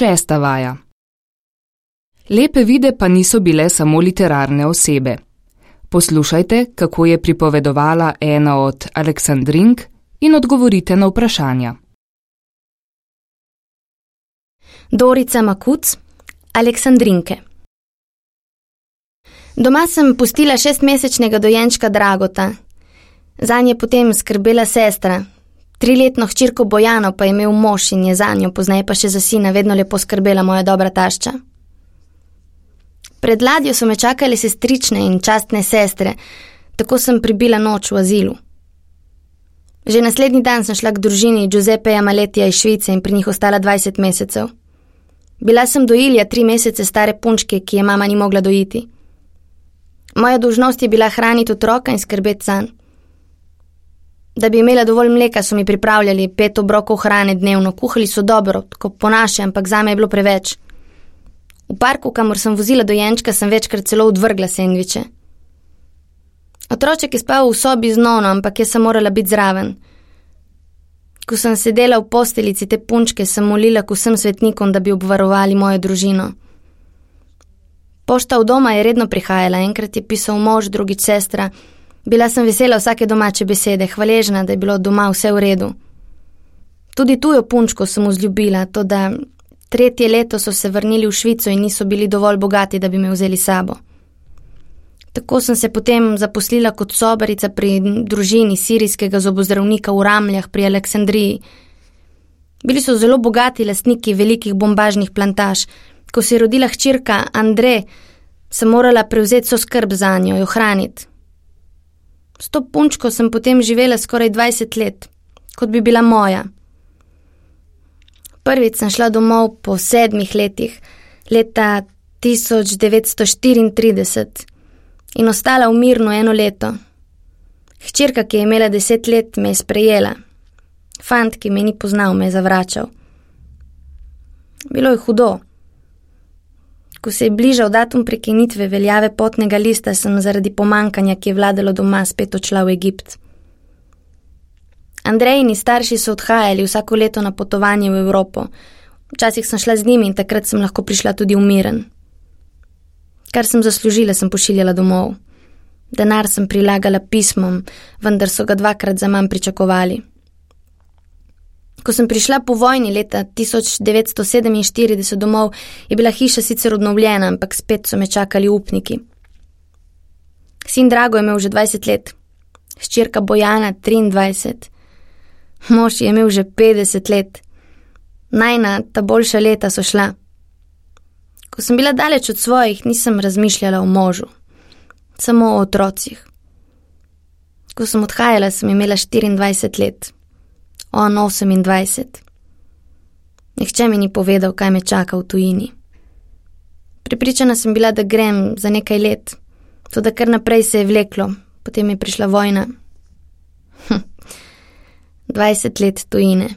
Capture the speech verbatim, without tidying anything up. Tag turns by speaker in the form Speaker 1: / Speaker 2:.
Speaker 1: šesta vaja. Lepe vide pa niso bile samo literarne osebe. Poslušajte, kako je pripovedovala ena od Aleksandrink in odgovorite na vprašanja.
Speaker 2: Dorica Makuc, Aleksandrinke. Doma sem pustila šestmesečnega dojenčka Dragota. Zanj je potem skrbela sestra. Triletno hčerko Bojano pa je imel mož in je zanjo, pozneje pa še za sina vedno lepo skrbela moja dobra tašča. Pred ladjo so me čakale sestrične in častne sestre, tako sem pribila noč v azilu. Že naslednji dan sem šla k družini Giuseppeja Maletija iz Švice in pri njih ostala dvajset mesecev. Bila sem dojilja tri mesece stare punčke, ki je mama ni mogla dojiti. Moja dolžnost je bila hraniti otroka in skrbeti zanj. Da bi imela dovolj mleka, so mi pripravljali pet obrokov hrane dnevno, kuhali so dobro, tako po naše, ampak zame je bilo preveč. V parku, kamor sem vozila dojenčka, sem večkrat celo odvrgla sendviče. Otroček je spal v sobi z nono, ampak jaz sem morala biti zraven. Ko sem sedela v posteljici te punčke, sem molila k vsem svetnikom, da bi obvarovali mojo družino. Pošta v doma je redno prihajala, enkrat je pisal mož, drugič sestra. Bila sem vesela vsake domače besede, hvaležna, da je bilo doma vse v redu. Tudi tujo punčko sem vzljubila, toda tretje leto so se vrnili v Švico in niso bili dovolj bogati, da bi me vzeli sabo. Tako sem se potem zaposlila kot sobarica pri družini sirijskega zobozdravnika v Ramljah pri Aleksandriji. Bili so zelo bogati lastniki velikih bombažnih plantaž. Ko se je rodila hčerka Andre, sem morala prevzeti so skrb zanjo, jo hraniti. S to punčko sem potem živela skoraj dvajset let, kot bi bila moja. Prvič sem šla domov po sedmih letih, leta tisoč devetsto štiriintrideset, in ostala v Mirnu eno leto. Hčerka, ki je imela deset let, me je sprejela. Fant, ki me ni poznal, me je zavračal. Bilo je hudo. Ko se je bližal datum prekinitve veljave potnega lista, sem zaradi pomankanja, ki je vladalo doma, spet odšla v Egipt. Andrejini starši so odhajali vsako leto na potovanje v Evropo. Včasih sem šla z njimi in takrat sem lahko prišla tudi v Miren. Kar sem zaslužila, sem pošiljala domov. Denar sem prilagala pismom, vendar so ga dvakrat za manj pričakovali. Ko sem prišla po vojni leta tisoč devetsto sedeminštirideset domov, je bila hiša sicer obnovljena, ampak spet so me čakali upniki. Sin Drago je imel že dvajset let, hčerka Bojana triindvajset, mož je imel že petdeset let. Najna, ta boljša leta so šla. Ko sem bila daleč od svojih, nisem razmišljala o možu, samo o otrocih. Ko sem odhajala, sem imela štiriindvajset let. On osemindvajset. Nihče mi ni povedal, kaj me čaka v tujini. Prepričana sem bila, da grem za nekaj let, toda kar naprej se je vleklo, potem je prišla vojna. Hm. dvajset let tujine.